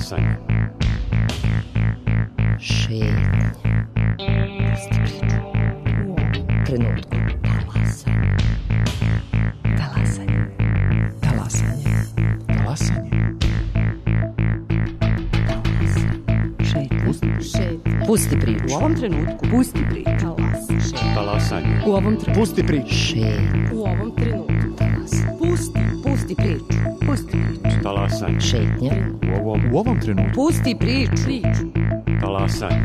Talasanje. Šetnje. Pusti priču. U ovom trenutku. Talasanje. Talasanje. Talasanje. Talasanje. Šetnje. Pusti priču. U ovom trenutku. Pusti priču. Talasanje. U ovom trenutku. Pusti priču. Šetnje. U ovom trenutku. Pusti priču. Pusti priču. Talasanje. Šetnje. U ovom trenutku. Pusti priču. Talasanje.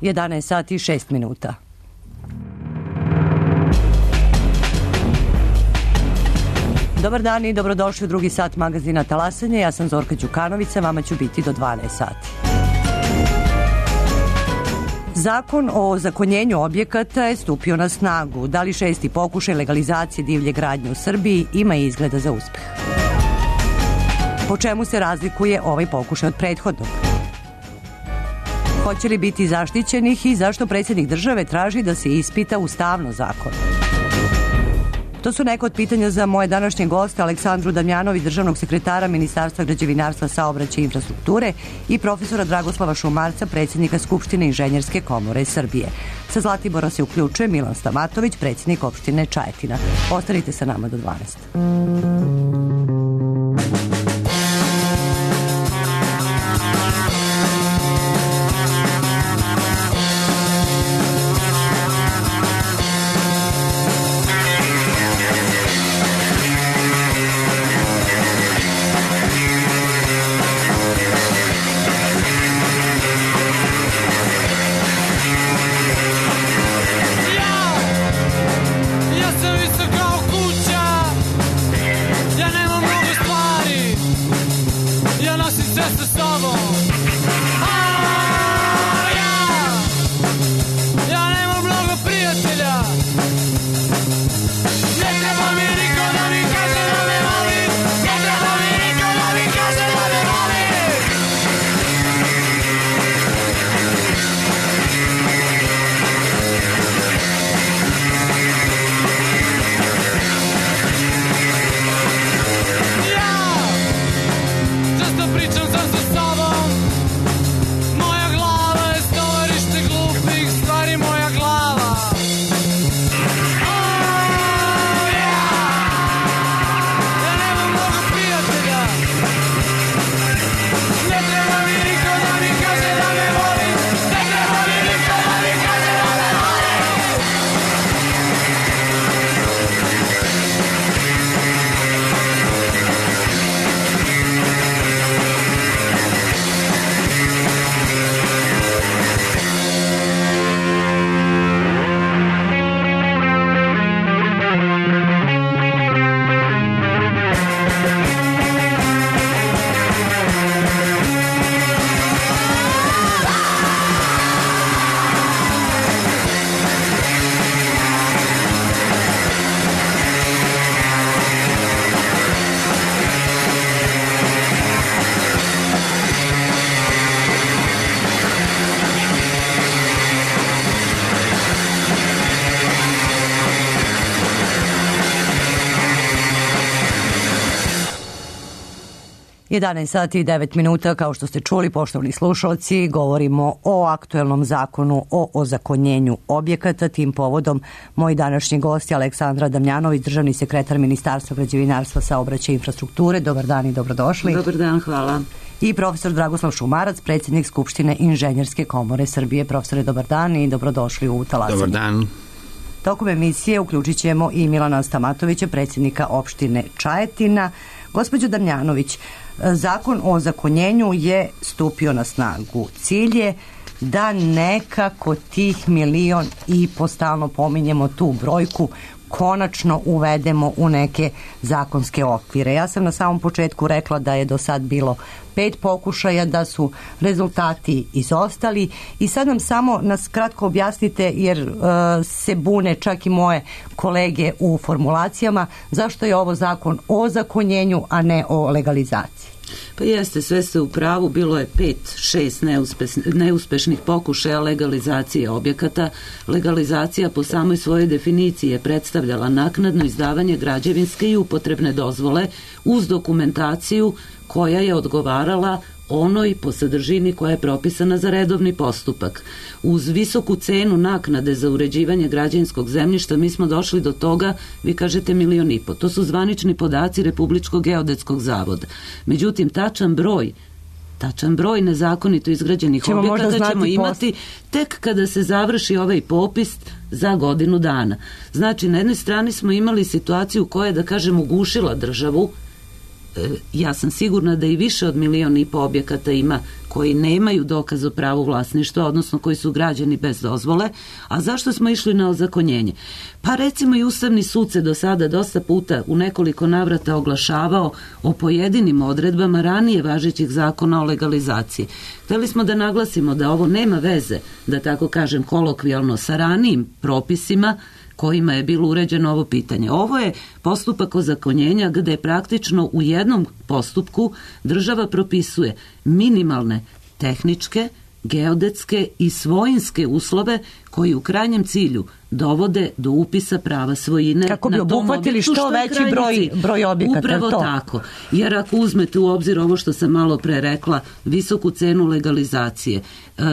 Jedanaest sati i 6 minuta. Dobar dan i dobrodošli u drugi sat magazina Talasanje. Ja sam Zorka Đukanović, vama ću biti do 12 sati. Zakon o ozakonjenju objekata je stupio na snagu. Da li 6. pokušaj legalizacije divlje gradnje u Srbiji ima izgleda za uspeh? Po čemu se razlikuje ovaj pokušaj od prethodnog? Hoće li biti zaštićenih i zašto predsjednik države traži da se ispita ustavno zakon? To su neka od pitanja za moje današnje goste, Aleksandru Damjanović, državnog sekretara Ministarstva građevinarstva, saobraćaja i infrastrukture, i profesora Dragoslava Šumarca, predsjednika Skupštine Inženjerske komore Srbije. Sa Zlatibora se uključuje Milan Stamatović, predsjednik opštine Čajetina. Ostanite sa nama do 12. Jedanaest sati i 9 minuta, kao što ste čuli, poštovani slušalci, govorimo o aktuelnom zakonu o ozakonjenju objekata. Tim povodom moji današnji gosti Aleksandra Damjanović, državni sekretar Ministarstva građevinarstva, saobraćaja i infrastrukture. Dobar dan i dobrodošli. Dobar dan, hvala. I profesor Dragoslav Šumarac, predsjednik Skupštine Inženjerske komore Srbije. Profesore, dobar dan i dobrodošli u Talasanje. Dobar dan. Tokom emisije uključit ćemo i Milana Stamatovića, predsjednika opštine Čajetina. Gospođo Damjanović, zakon o ozakonjenju je stupio na snagu. Cilj je da nekako tih 1,5 miliona, stalno pominjemo tu brojku, konačno uvedemo u neke zakonske okvire. Ja sam na samom početku rekla da je do sad bilo 5 pokušaja, da su rezultati izostali i sad nam samo nas kratko objasnite, jer se bune čak i moje kolege u formulacijama, zašto je ovo zakon o ozakonjenju, a ne o legalizaciji. Pa jeste, sve ste u pravu, bilo je 5-6 neuspešnih pokušaja legalizacije objekata. Legalizacija po samoj svojoj definiciji je predstavljala naknadno izdavanje građevinske i upotrebne dozvole uz dokumentaciju koja je odgovarala onoj po sadržini koja je propisana za redovni postupak. Uz visoku cenu naknade za uređivanje građevinskog zemljišta mi smo došli do toga, vi kažete 1,5 miliona. To su zvanični podaci Republičkog geodetskog zavoda. Međutim, tačan broj nezakonito izgrađenih objekata ćemo imati tek kada se završi ovaj popis za godinu dana. Znači, na jednoj strani smo imali situaciju koja je, da kažem, ugušila državu. Ja sam sigurna da i više od 1,5 miliona objekata ima koji nemaju dokaz o pravu vlasništva, odnosno koji su građeni bez dozvole. A zašto smo išli na ozakonjenje? Pa recimo i Ustavni sud se do sada dosta puta u nekoliko navrata oglašavao o pojedinim odredbama ranije važećih zakona o legalizaciji. Hteli smo da naglasimo da ovo nema veze, da tako kažem kolokvijalno, sa ranijim propisima kojima je bilo uređeno ovo pitanje. Ovo je postupak ozakonjenja gde praktično u jednom postupku država propisuje minimalne tehničke, geodetske i svojinske uslove koji u krajnjem cilju dovode do upisa prava svojine. Kako bi obuhvatili što veći broj objekata. Upravo tako. Jer ako uzmete u obzir ovo što sam malo pre rekla, visoku cenu legalizacije,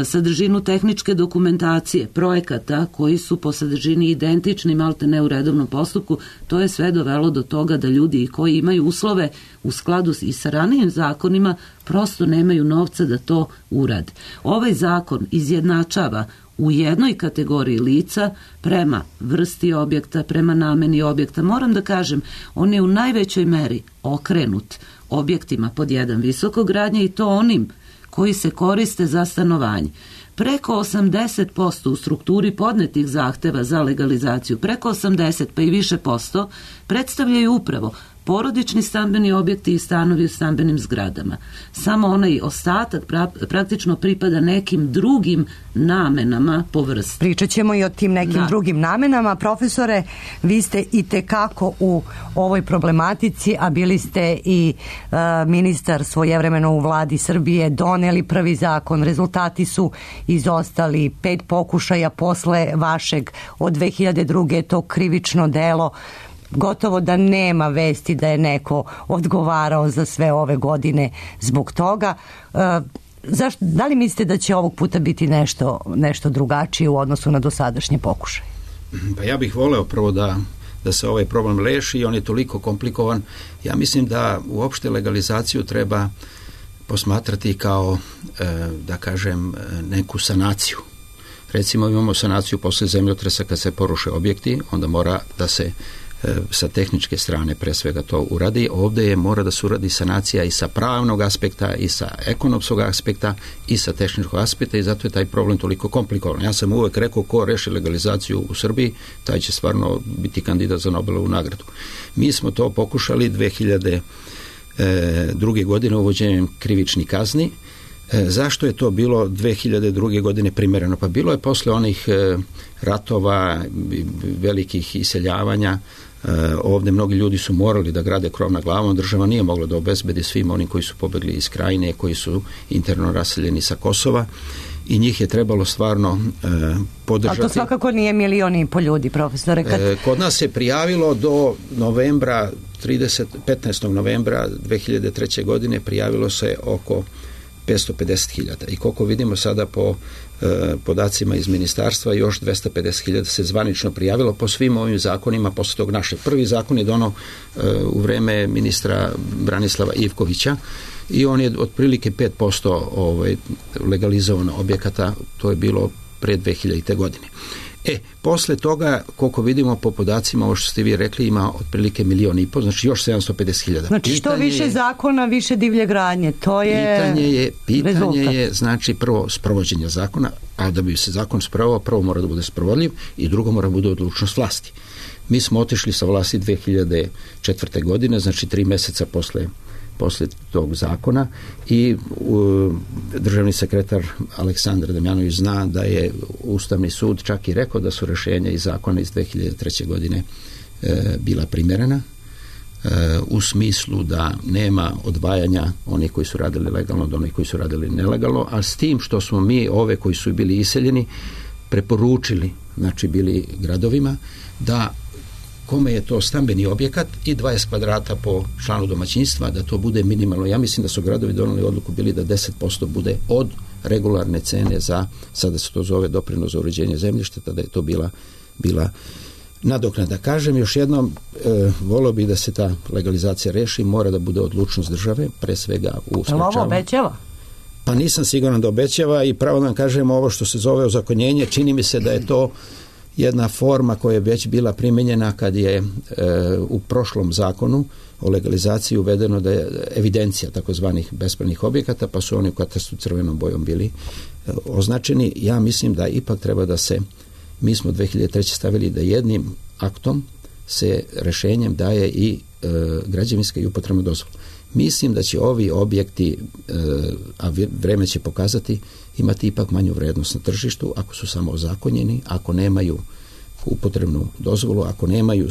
sadržinu tehničke dokumentacije, projekata koji su po sadržini identični malte ne u redovnom postupku, to je sve dovelo do toga da ljudi koji imaju uslove u skladu i sa ranijim zakonima prosto nemaju novca da to urade. Ovaj zakon izjednačava u jednoj kategoriji lica prema vrsti objekta, prema nameni objekta. Moram da kažem, on je u najvećoj meri okrenut objektima pod 1 visokogradnje i to onim koji se koriste za stanovanje. Preko 80% u strukturi podnetih zahteva za legalizaciju, preko 80 pa i više posto, predstavljaju upravo porodični stambeni objekti i stanovi u stambenim zgradama. Samo onaj ostatak praktično pripada nekim drugim namenama po vrsti. Pričat ćemo i o tim nekim drugim namenama. Profesore, vi ste i tekako u ovoj problematici, a bili ste i ministar svojevremeno u vladi Srbije, doneli prvi zakon, rezultati su izostali, 5 pokušaja posle vašeg od 2002. to krivično delo, gotovo da nema vesti da je neko odgovarao za sve ove godine zbog toga. Da li mislite da će ovog puta biti nešto drugačije u odnosu na dosadašnje pokušaje? Pa ja bih voleo prvo da se ovaj problem reši i on je toliko komplikovan. Ja mislim da uopšte legalizaciju treba posmatrati kao, da kažem, neku sanaciju. Recimo imamo sanaciju posle zemljotresa kad se poruše objekti, onda mora da se sa tehničke strane pre svega to uradi. Ovdje mora da se uradi sanacija i sa pravnog aspekta i sa ekonomskog aspekta i sa tehničkog aspekta i zato je taj problem toliko komplikovan. Ja sam uvek rekao ko reši legalizaciju u Srbiji, taj će stvarno biti kandidat za Nobelovu nagradu. Mi smo to pokušali 2002. godine uvođenjem krivičnih kazni. Zašto je to bilo 2002. godine primereno? Pa bilo je posle onih ratova, velikih iseljavanja, ovdje mnogi ljudi su morali da grade krov nad glavom, država nije mogla da obezbedi svim onim koji su pobegli iz Krajine, koji su interno raseljeni sa Kosova i njih je trebalo stvarno podržati. Ali to svakako nije 1,5 miliona ljudi, profesore. Kod nas se prijavilo do novembra, 15. novembra 2003. godine prijavilo se oko 550.000 i koliko vidimo sada po podacima iz ministarstva još 250.000 se zvanično prijavilo po svim ovim zakonima posle tog našeg. Prvi zakon je donao u vreme ministra Branislava Ivkovića i on je otprilike 5% legalizovano objekata, to je bilo pre 2000. godine. Posle toga, koliko vidimo po podacima, ovo što ste vi rekli, ima otprilike 1,5 miliona, znači još 750.000. Znači što više zakona, više divlje gradnje, to je Pitanje je, znači, prvo sprovođenje zakona, a da bi se zakon sprovao, prvo mora da bude sprovodljiv i drugo mora da bude odlučnost vlasti. Mi smo otišli sa vlasti 2004. godine, znači 3 mjeseca posle tog zakona i državni sekretar Aleksandar Damjanović zna da je Ustavni sud čak i rekao da su rješenja iz zakona iz 2003. godine bila primjerena u smislu da nema odvajanja onih koji su radili legalno od onih koji su radili nelegalno, a s tim što smo mi ove koji su bili iseljeni preporučili, znači bili gradovima, da kome je to stambeni objekat i 20 kvadrata po članu domaćinstva, da to bude minimalno. Ja mislim da su gradovi donijeli odluku bili da 10% bude od regularne cene za, sada se to zove doprinos za uređenje zemljišta, tada je to bila nadoknada. Kažem još jednom, volio bih da se ta legalizacija reši, mora da bude odlučnost države, pre svega u sprečavanju. Ovo obećava? Pa nisam siguran da obećava i pravo da vam kažem ovo što se zove ozakonjenje, čini mi se da je to jedna forma koja je već bila primijenjena kad je u prošlom zakonu o legalizaciji uvedeno da je evidencija takozvanih bespravnih objekata, pa su oni u katastru crvenom bojom bili označeni. Ja mislim da ipak treba da se, mi smo 2003. stavili da jednim aktom se rješenjem daje i građevinska i upotrebna dozvola. Mislim da će ovi objekti, a vreme će pokazati, imati ipak manju vrednost na tržištu ako su samo ozakonjeni, ako nemaju upotrebnu dozvolu, ako nemaju,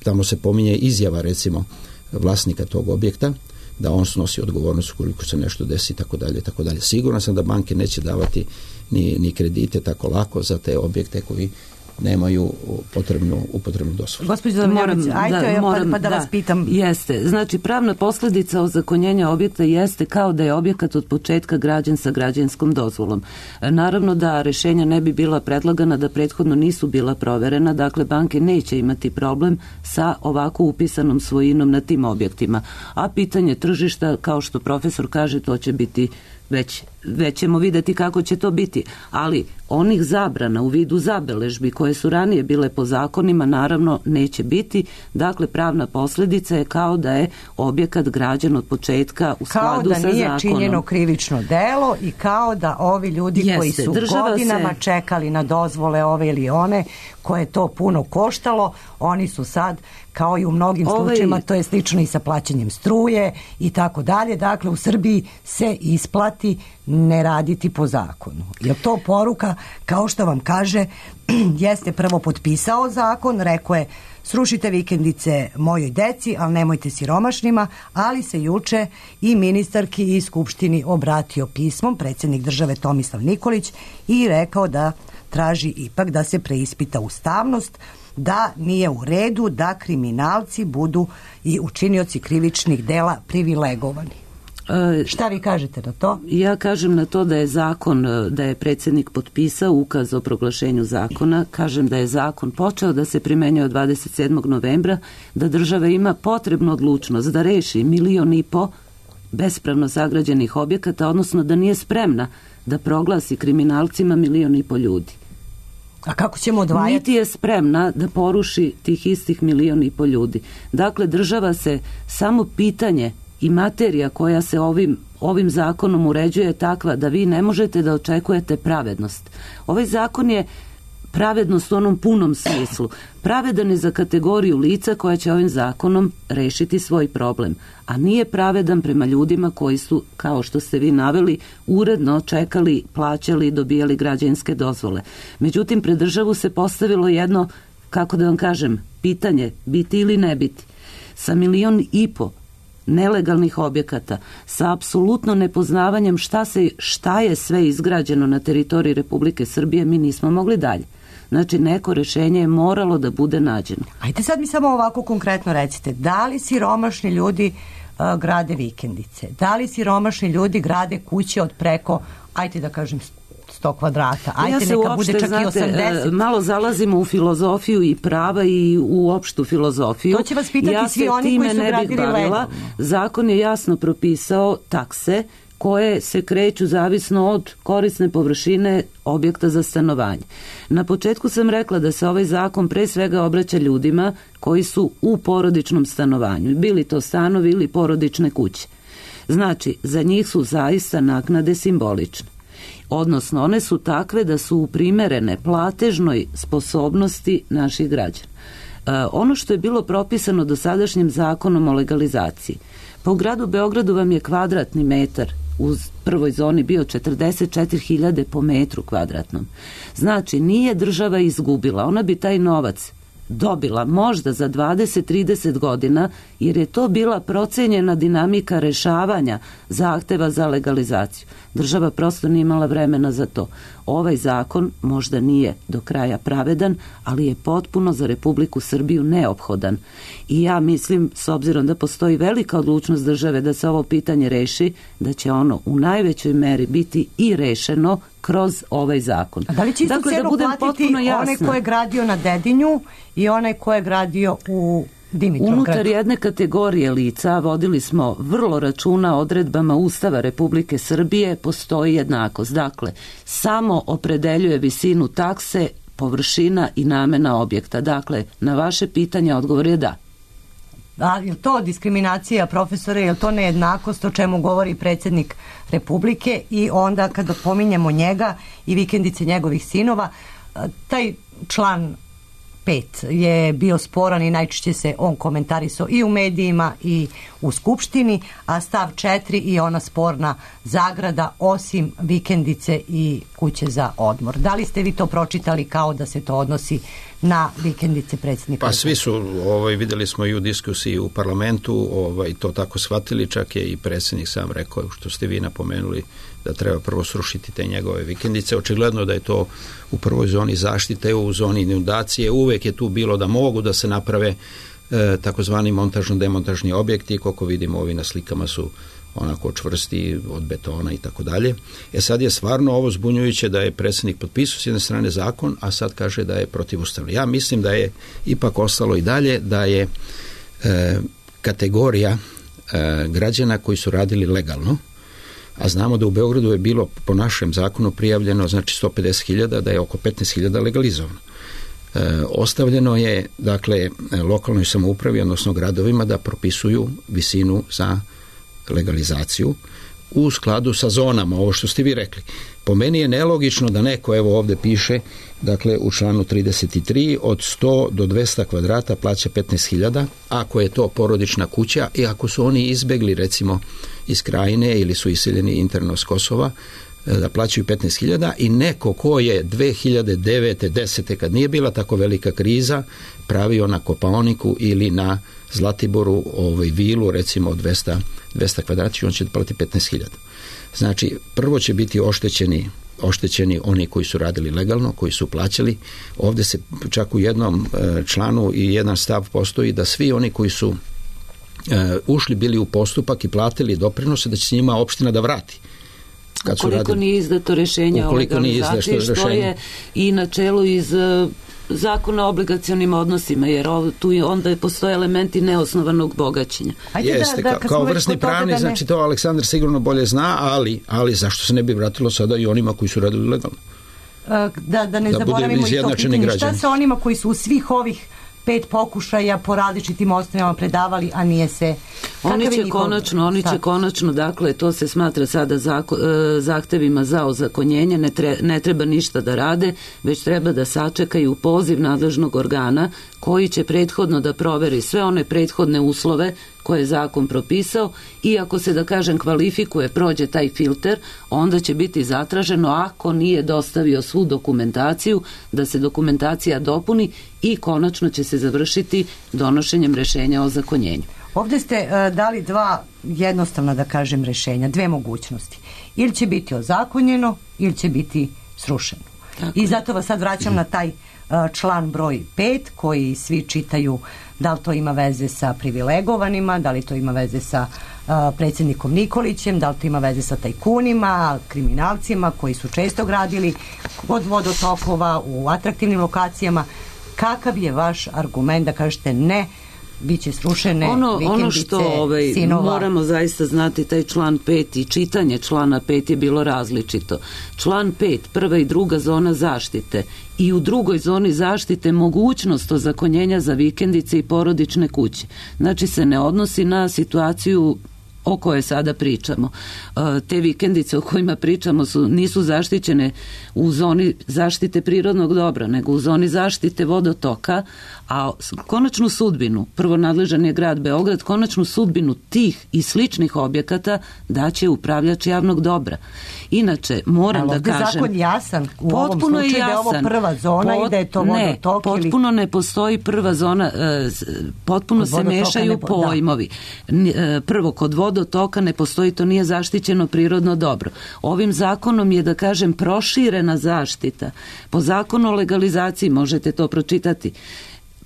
tamo se pominje izjava recimo vlasnika tog objekta, da on snosi odgovornost ukoliko se nešto desi, tako dalje, tako dalje. Siguran sam da banke neće davati ni kredite tako lako za te objekte koji nemaju upotrebnu dozvolu. Gospođo Damjanović, pa da vas pitam. Jeste. Znači, pravna posljedica ozakonjenja objekta jeste kao da je objekat od početka građen sa građevinskom dozvolom. Naravno da rješenja ne bi bila predlagana da prethodno nisu bila proverena, dakle banke neće imati problem sa ovako upisanom svojinom na tim objektima. A pitanje tržišta, kao što profesor kaže, to će biti već ćemo vidjeti kako će to biti, ali onih zabrana u vidu zabeležbi koje su ranije bile po zakonima naravno neće biti, dakle pravna posljedica je kao da je objekat građen od početka u skladu sa zakonom. Kao da nije činjeno krivično delo i kao da ovi ljudi koji su godinama čekali na dozvole ove ili one, koje je to puno koštalo, oni su sad, kao i u mnogim slučajima, to je slično i sa plaćanjem struje i tako dalje, dakle u Srbiji se isplati ne raditi po zakonu. Je to poruka, kao što vam kaže, jeste prvo potpisao zakon, rekao je srušite vikendice mojoj deci, ali nemojte siromašnima, ali se juče i ministarki i skupštini obratio pismom, predsjednik države Tomislav Nikolić, i rekao da traži ipak da se preispita ustavnost, da nije u redu da kriminalci budu i učinioci krivičnih dela privilegovani. Šta vi kažete na to? Ja kažem na to da je zakon, da je predsjednik potpisao ukaz o proglašenju zakona, kažem da je zakon počeo da se primenjuje od 27. novembra, da država ima potrebnu odlučnost da reši 1,5 miliona bespravno sagrađenih objekata, odnosno da nije spremna da proglasi kriminalcima 1,5 miliona ljudi. A kako ćemo odvajati? Niti je spremna da poruši tih istih 1,5 miliona ljudi. Dakle, država se, samo pitanje i materija koja se ovim zakonom uređuje je takva da vi ne možete da očekujete pravednost. Ovaj zakon je pravednost u onom punom smislu. Pravedan je za kategoriju lica koja će ovim zakonom rešiti svoj problem, a nije pravedan prema ljudima koji su, kao što ste vi naveli, uredno čekali, plaćali i dobijali građevinske dozvole. Međutim, pred državu se postavilo jedno, kako da vam kažem, pitanje, biti ili ne biti. Sa 1,5 miliona nelegalnih objekata, sa apsolutno nepoznavanjem šta je sve izgrađeno na teritoriji Republike Srbije, mi nismo mogli dalje. Znači, neko rješenje je moralo da bude nađeno. Ajde sad mi samo ovako konkretno recite, da li siromašni ljudi grade vikendice? Da li siromašni ljudi grade kuće od preko, ajde da kažem, 100 kvadrata? Ajde, neka bude čak i 80. Malo zalazimo u filozofiju i prava i u opštu filozofiju. To će vas pitati svi oni koji su gradili legalno. Zakon je jasno propisao takse koje se kreću zavisno od korisne površine objekta za stanovanje. Na početku sam rekla da se ovaj zakon pre svega obraća ljudima koji su u porodičnom stanovanju, bili to stanovi ili porodične kuće. Znači, za njih su zaista naknade simbolične. Odnosno, one su takve da su primerene platežnoj sposobnosti naših građana. Ono što je bilo propisano dosadašnjim zakonom o legalizaciji, pa u gradu Beogradu vam je kvadratni metar u prvoj zoni bio 44.000 po metru kvadratnom. Znači, nije država izgubila, ona bi taj novac dobila možda za 20-30 godina, jer je to bila procenjena dinamika rešavanja zahteva za legalizaciju. Država prosto nije imala vremena za to. Ovaj zakon možda nije do kraja pravedan, ali je potpuno za Republiku Srbiju neophodan. I ja mislim, s obzirom da postoji velika odlučnost države da se ovo pitanje reši, da će ono u najvećoj meri biti i rešeno kroz ovaj zakon. A da li će istu cenu platiti onaj ko je gradio na Dedinju i onaj ko je gradio u Dimitrovgradu? Unutar jedne kategorije lica vodili smo vrlo računa odredbama Ustava Republike Srbije, postoji jednakost. Dakle, samo opredeljuje visinu takse, površina i namena objekta. Dakle, na vaše pitanje odgovor je da. A je to diskriminacija, profesore, je to nejednakost o čemu govori predsjednik Republike? I onda kada pominjemo njega i vikendice njegovih sinova, taj član 5 je bio sporan i najčešće se on komentarisao i u medijima i u Skupštini, a stav 4 i ona sporna zagrada osim vikendice i kuće za odmor. Da li ste vi to pročitali kao da se to odnosi na vikendice predsjednika? Pa svi su, vidjeli smo i u diskusiji u parlamentu, to tako shvatili, čak je i predsjednik sam rekao, što ste vi napomenuli, da treba prvo srušiti te njegove vikendice. Očigledno da je to u prvoj zoni zaštite, u zoni inundacije. Uvek je tu bilo da mogu da se naprave takozvani montažno-demontažni objekti, koliko vidimo ovi na slikama su onako čvrsti od betona i tako dalje. Sad je stvarno ovo zbunjujuće da je predsjednik potpisao s jedne strane zakon, a sad kaže da je protivustavno. Ja mislim da je ipak ostalo i dalje da je kategorija građana koji su radili legalno, a znamo da u Beogradu je bilo po našem zakonu prijavljeno znači 150.000, da je oko 15.000 legalizovano. Ostavljeno je dakle lokalnoj samoupravi, odnosno gradovima, da propisuju visinu za legalizaciju u skladu sa zonama, ovo što ste vi rekli. Po meni je nelogično da neko, evo ovdje piše, dakle u članu 33, od 100 do 200 kvadrata plaća 15.000, ako je to porodična kuća i ako su oni izbegli recimo iz Krajine ili su iseljeni interno s Kosova, da plaćaju 15.000 i neko ko je 2009. 10. kad nije bila tako velika kriza, pravio na Kopaoniku ili na Zlatiboru vilu recimo 200 kvadrata, on će platiti 15.000. Znači, prvo će biti oštećeni oni koji su radili legalno, koji su plaćali. Ovdje se čak u jednom članu i jedan stav postoji da svi oni koji su ušli bili u postupak i platili doprinose, da će s njima opština da vrati. Ukoliko nije izdato rješenje o legalizaciji, što je i na čelu iz Zakona o obligacionim odnosima, jer tu onda postoje elementi neosnovanog bogaćenja. Jeste, kao vrsni pravnik, znači to Aleksandar sigurno bolje zna, ali zašto se ne bi vratilo sada i onima koji su radili legalno? Da ne zaboravimo i to pitanje. Šta sa onima koji su u svih ovih 5 pokušaja po različitim osnovama predavali, a nije se... Oni će konačno, dakle, to se smatra sada zahtevima za ozakonjenje, ne treba ništa da rade, već treba da sačekaju poziv nadležnog organa koji će prethodno da proveri sve one prethodne uslove koje je zakon propisao i ako se, da kažem, kvalifikuje, prođe taj filter, onda će biti zatraženo, ako nije dostavio svu dokumentaciju, da se dokumentacija dopuni i konačno će se završiti donošenjem rješenja o ozakonjenju. Ovdje ste dali dva jednostavna, da kažem, rješenja, dve mogućnosti. Ili će biti ozakonjeno, ili će biti srušeno. Tako. I zato vas sad vraćam na taj član broj 5 koji svi čitaju, da li to ima veze sa privilegovanima, da li to ima veze sa predsjednikom Nikolićem, da li to ima veze sa tajkunima, kriminalcima koji su često gradili od vodotokova u atraktivnim lokacijama. Kakav je vaš argument da kažete ne, bit će srušene vikendice ono što sinova? Moramo zaista znati, taj član 5 i čitanje člana 5 je bilo različito. Član 5, prva i druga zona zaštite i u drugoj zoni zaštite mogućnost ozakonjenja za vikendice i porodične kuće. Znači se ne odnosi na situaciju o kojoj sada pričamo. Te vikendice o kojima pričamo nisu zaštićene u zoni zaštite prirodnog dobra, nego u zoni zaštite vodotoka, a konačnu sudbinu, prvo nadležan je grad Beograd, konačnu sudbinu tih i sličnih objekata daće upravljač javnog dobra. Inače, moram da kažem... zakon jasan u ovom slučaju da je ovo prva zona i da je to vodotok? Potpuno ne postoji prva zona, potpuno se mešaju pojmovi. Prvo, kod vodotoka ne postoji, to nije zaštićeno prirodno dobro. Ovim zakonom je, da kažem, proširena zaštita. Po zakonu o legalizaciji, možete to pročitati,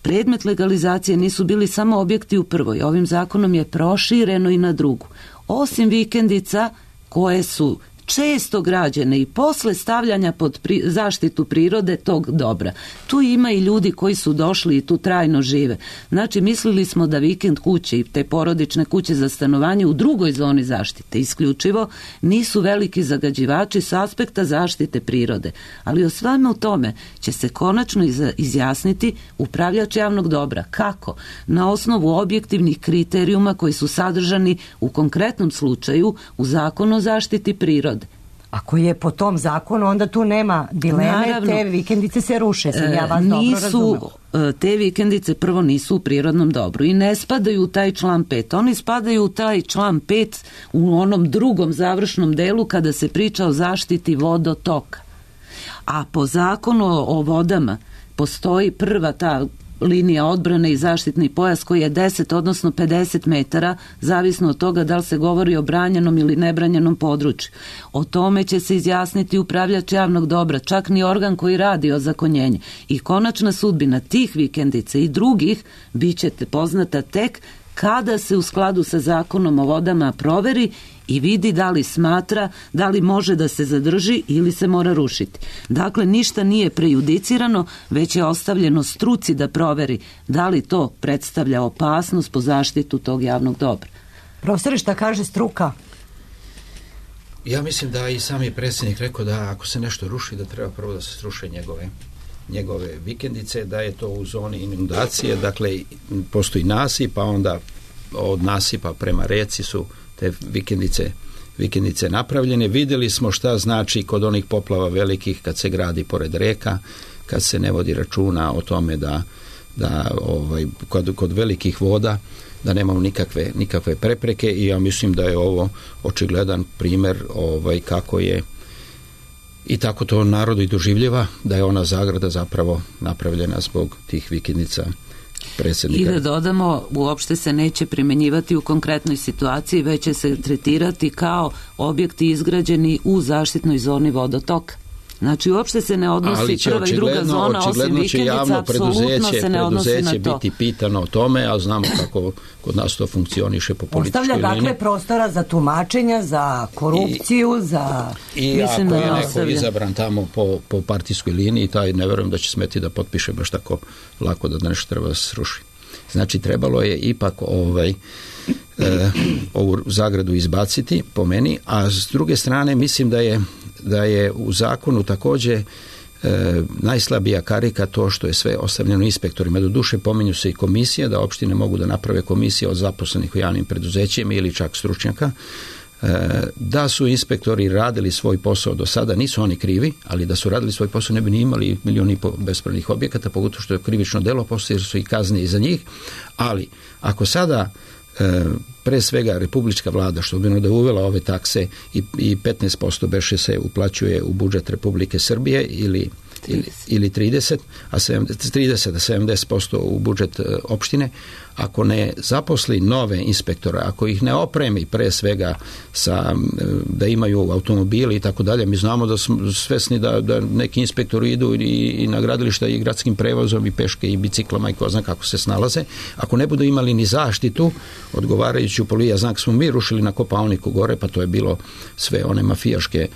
predmet legalizacije nisu bili samo objekti u prvoj. Ovim zakonom je prošireno i na drugu. Osim vikendica koje su često građene i posle stavljanja pod zaštitu prirode tog dobra. Tu ima i ljudi koji su došli i tu trajno žive. Znači, mislili smo da vikend kuće i te porodične kuće za stanovanje u drugoj zoni zaštite isključivo nisu veliki zagađivači s aspekta zaštite prirode. Ali o svemu tome će se konačno izjasniti upravljač javnog dobra. Kako? Na osnovu objektivnih kriterijuma koji su sadržani u konkretnom slučaju u Zakonu o zaštiti prirode. Ako je po tom zakonu, onda tu nema dileme. Naravno, te vikendice se ruše, sam ja vas dobro razumela. Te vikendice prvo nisu u prirodnom dobru i ne spadaju u taj član 5. Oni spadaju u taj član 5 u onom drugom završnom delu kada se priča o zaštiti vodotoka. A po zakonu o vodama postoji prva ta linija odbrane i zaštitni pojas koji je 10 odnosno 50 metara, zavisno od toga da li se govori o branjenom ili nebranjenom području. O tome će se izjasniti upravljač javnog dobra, čak ni organ koji radi ozakonjenje. I konačna sudbina tih vikendica i drugih bit će poznata tek kada se u skladu sa zakonom o vodama proveri i vidi da li smatra, da li može da se zadrži ili se mora rušiti. Dakle, ništa nije prejudicirano, već je ostavljeno struci da proveri da li to predstavlja opasnost po zaštitu tog javnog dobra. Profesore, šta kaže struka? Ja mislim da i sami predsjednik rekao da ako se nešto ruši, da treba prvo da se sruše njegove vikendice, da je to u zoni inundacije, dakle postoji nasip, pa onda od nasipa prema reci su te vikendice napravljene. Vidjeli smo šta znači kod onih poplava velikih kad se gradi pored reka, kad se ne vodi računa o tome da kod velikih voda da nemamo nikakve prepreke i ja mislim da je ovo očigledan primjer kako je i tako to narodu i doživljava, da je ona zagrada zapravo napravljena zbog tih vikendica predsjednika. I da dodamo, uopšte se neće primjenjivati u konkretnoj situaciji, već će se tretirati kao objekti izgrađeni u zaštitnoj zoni vodotoka. Znači, uopšte se ne odnosi prva i druga zona, osim vikendica, apsolutno se ne odnosi na to. Preduzeće biti pitano o tome, a znamo kako kod nas to funkcioniše po političkoj liniji. Ostavlja dakle prostora za tumačenja, za korupciju, za... I ako je neko izabran tamo po partijskoj liniji, taj ne verujem da će smeti da potpiše baš tako lako da nešto treba da se sruši. Znači, trebalo je ipak ovu zagradu izbaciti, po meni, a s druge strane mislim da je u zakonu također najslabija karika to što je sve ostavljeno inspektorima. Doduše pominju se i komisije, da opštine mogu da naprave komisije od zaposlenih u javnim preduzećima ili čak stručnjaka. Da su inspektori radili svoj posao do sada, nisu oni krivi, ali da su radili svoj posao ne bi ni imali 1,5 miliona bespravnih objekata, pogotovo što je krivično delo, postoje jer su i kazne i za njih, ali ako sada pre svega republička vlada, što bi da je uvela ove takse i 15% beše se uplaćuje u budžet Republike Srbije ili 30, a 70% u budžet opštine, ako ne zaposli nove inspektore, ako ih ne opremi pre svega da imaju automobili i tako dalje, mi znamo da smo svesni da neki inspektori idu i na gradilišta i gradskim prevozom i peške i biciklama i ko zna kako se snalaze, ako ne budu imali ni zaštitu odgovarajuću ja znam smo mi rušili na Kopaoniku gore, pa to je bilo sve one mafijaške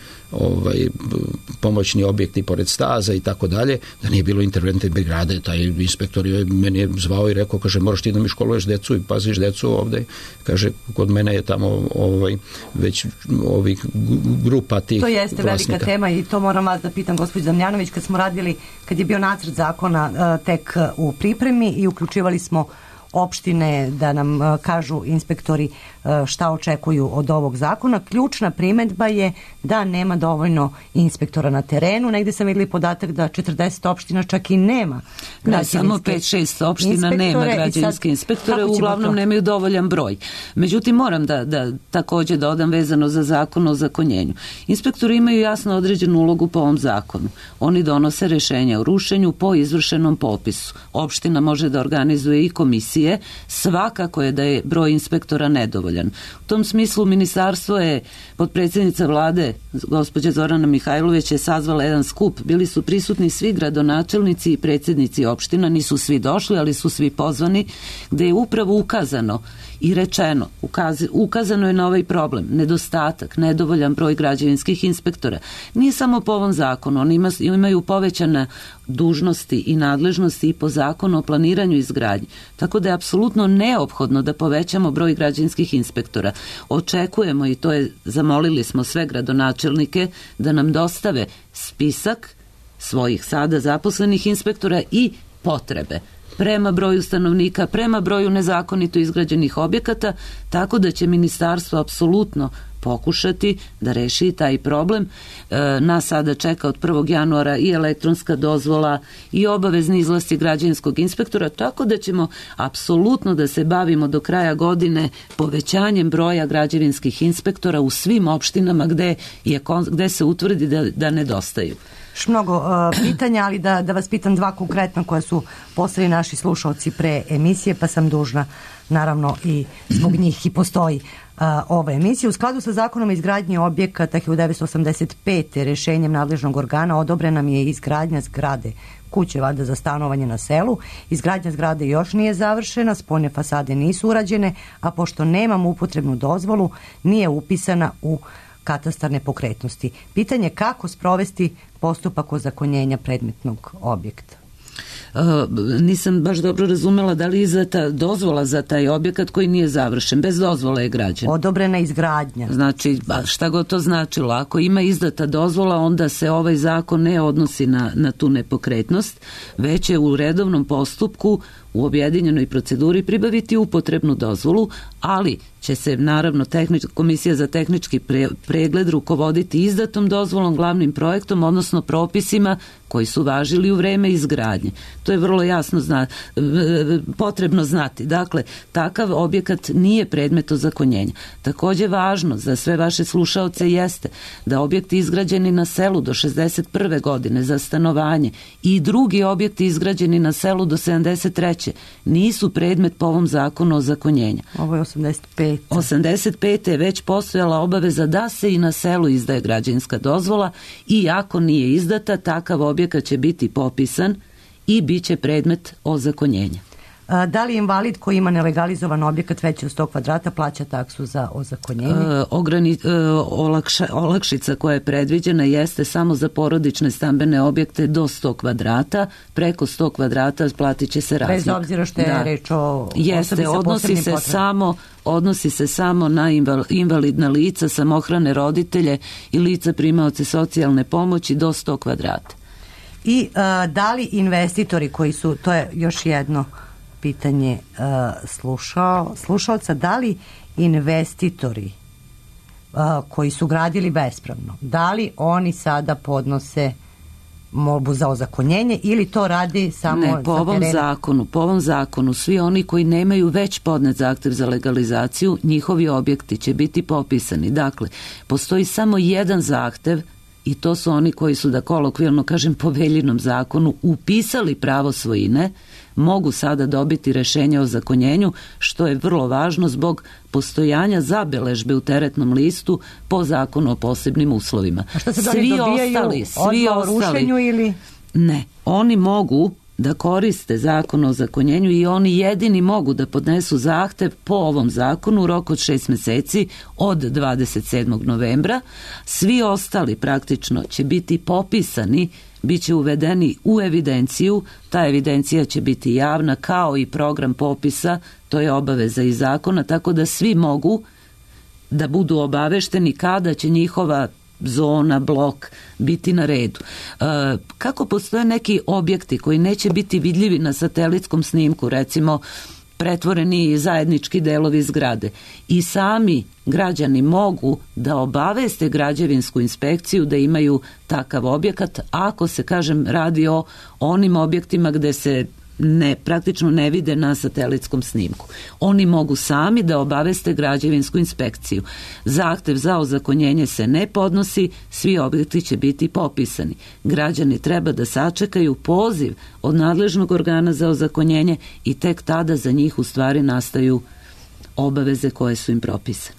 pomoćni objekti pored staza i tako dalje, da nije bilo interventne brigade, taj inspektor meni je zvao i rekao, kaže, moraš ti da mi školuješ decu i paziš decu ovde, kaže, kod mene je tamo već ovih grupa tih vlasnika. To jeste velika tema i to moram vas da pitam, gospođo Damjanović, kad je bio nacrt zakona tek u pripremi i uključivali smo opštine, da nam kažu inspektori šta očekuju od ovog zakona. Ključna primedba je da nema dovoljno inspektora na terenu. Negde sam vidjeli podatak da 40 opština čak i nema građevinske samo 5-6 opština nema građevinske inspektore, uglavnom nemaju dovoljan broj. Međutim, moram da također dodam vezano za zakon o ozakonjenju. Inspektori imaju jasno određenu ulogu po ovom zakonu. Oni donose rješenja o rušenju po izvršenom popisu. Opština može da organizuje i komisije, svakako je da je broj inspektora nedovoljan. U tom smislu ministarstvo je, potpredsjednica vlade gospođa Zorana Mihajlović je sazvala jedan skup, bili su prisutni svi gradonačelnici i predsjednici opština, nisu svi došli, ali su svi pozvani, gde je upravo ukazano i rečeno, ukazano je na ovaj problem, nedostatak, nedovoljan broj građevinskih inspektora. Nije samo po ovom zakonu, oni imaju povećane dužnosti i nadležnosti i po zakonu o planiranju i izgradnji. Tako da je apsolutno neophodno da povećamo broj građevinskih inspektora. Očekujemo, i to je, zamolili smo sve gradonačelnike da nam dostave spisak svojih sada zaposlenih inspektora i potrebe prema broju stanovnika, prema broju nezakonito izgrađenih objekata, tako da će ministarstvo apsolutno pokušati da reši taj problem. Nas sada čeka od 1. januara i elektronska dozvola i obavezni izlasci građevinskog inspektora, tako da ćemo apsolutno da se bavimo do kraja godine povećanjem broja građevinskih inspektora u svim opštinama gde se utvrdi da nedostaju. Mnogo pitanja, ali da vas pitam dva konkretna koja su poslali naši slušalci pre emisije, pa sam dužna, naravno i zbog njih i postoji ova emisija. U skladu sa zakonom o izgradnji objekata 1985. rešenjem nadležnog organa odobrena mi je izgradnja zgrade kuće valjda za stanovanje na selu. Izgradnja zgrade još nije završena, spoljne fasade nisu urađene, a pošto nemam upotrebnu dozvolu, nije upisana u katastar nepokretnosti. Pitanje kako sprovesti postupak ozakonjenja predmetnog objekta. Nisam baš dobro razumela da li je izdata dozvola za taj objekat koji nije završen. Bez dozvole je građen. Odobrena izgradnja. Znači, šta god to značilo. Ako ima izdata dozvola, onda se ovaj zakon ne odnosi na tu nepokretnost, već je u redovnom postupku u objedinjenoj proceduri pribaviti upotrebnu dozvolu, ali će se naravno komisija za tehnički pregled rukovoditi izdatom dozvolom, glavnim projektom, odnosno propisima koji su važili u vreme izgradnje. To je vrlo jasno potrebno znati. Dakle, takav objekat nije predmet ozakonjenja. Također važno za sve vaše slušaoce jeste da objekti izgrađeni na selu do 61. godine za stanovanje i drugi objekti izgrađeni na selu do 73. nisu predmet po ovom zakonu ozakonjenja. Ovo je 85. 85. je već postojala obaveza da se i na selu izdaje građevinska dozvola i ako nije izdata, takav objekat će biti popisan i bit će predmet ozakonjenja. Da li invalid koji ima nelegalizovan objekat veći od 100 kvadrata plaća taksu za ozakonjenje? Olakšica koja je predviđena jeste samo za porodične stambene objekte do 100 kvadrata, preko 100 kvadrata platit će se razlika. Bez obzira što je reč o osobi sa posebnim potrebama. Odnosi se samo na invalidna lica, samohrane roditelje i lica primaoce socijalne pomoći do 100 kvadrata. I da li investitori koji su, to je još jedno pitanje slušalca, da li investitori koji su gradili bespravno, da li oni sada podnose molbu za ozakonjenje ili to radi samo ne, po ovom zakonu svi oni koji nemaju već podnet zahtev za legalizaciju, njihovi objekti će biti popisani. Dakle, postoji samo jedan zahtev i to su oni koji su, da kolokvijalno kažem, po Veljinom zakonu upisali pravo svojine, mogu sada dobiti rešenje o ozakonjenju, što je vrlo važno zbog postojanja zabeležbe u teretnom listu po zakonu o posebnim uslovima. A što se dobijaju o rušenju ili? Ne, oni mogu da koriste zakon o ozakonjenju i oni jedini mogu da podnesu zahtev po ovom zakonu u roku od 6 meseci od 27. novembra. Svi ostali praktično će biti popisani, bit će uvedeni u evidenciju, ta evidencija će biti javna kao i program popisa, to je obaveza iz zakona, tako da svi mogu da budu obavešteni kada će njihova zona, blok biti na redu. Kako postoje neki objekti koji neće biti vidljivi na satelitskom snimku, recimo pretvoreni zajednički delovi zgrade. I sami građani mogu da obaveste građevinsku inspekciju da imaju takav objekat, ako se, kažem, radi o onim objektima gde se praktično ne vide na satelitskom snimku. Oni mogu sami da obaveste građevinsku inspekciju. Zahtev za ozakonjenje se ne podnosi, svi objekti će biti popisani. Građani treba da sačekaju poziv od nadležnog organa za ozakonjenje i tek tada za njih u stvari nastaju obaveze koje su im propisane.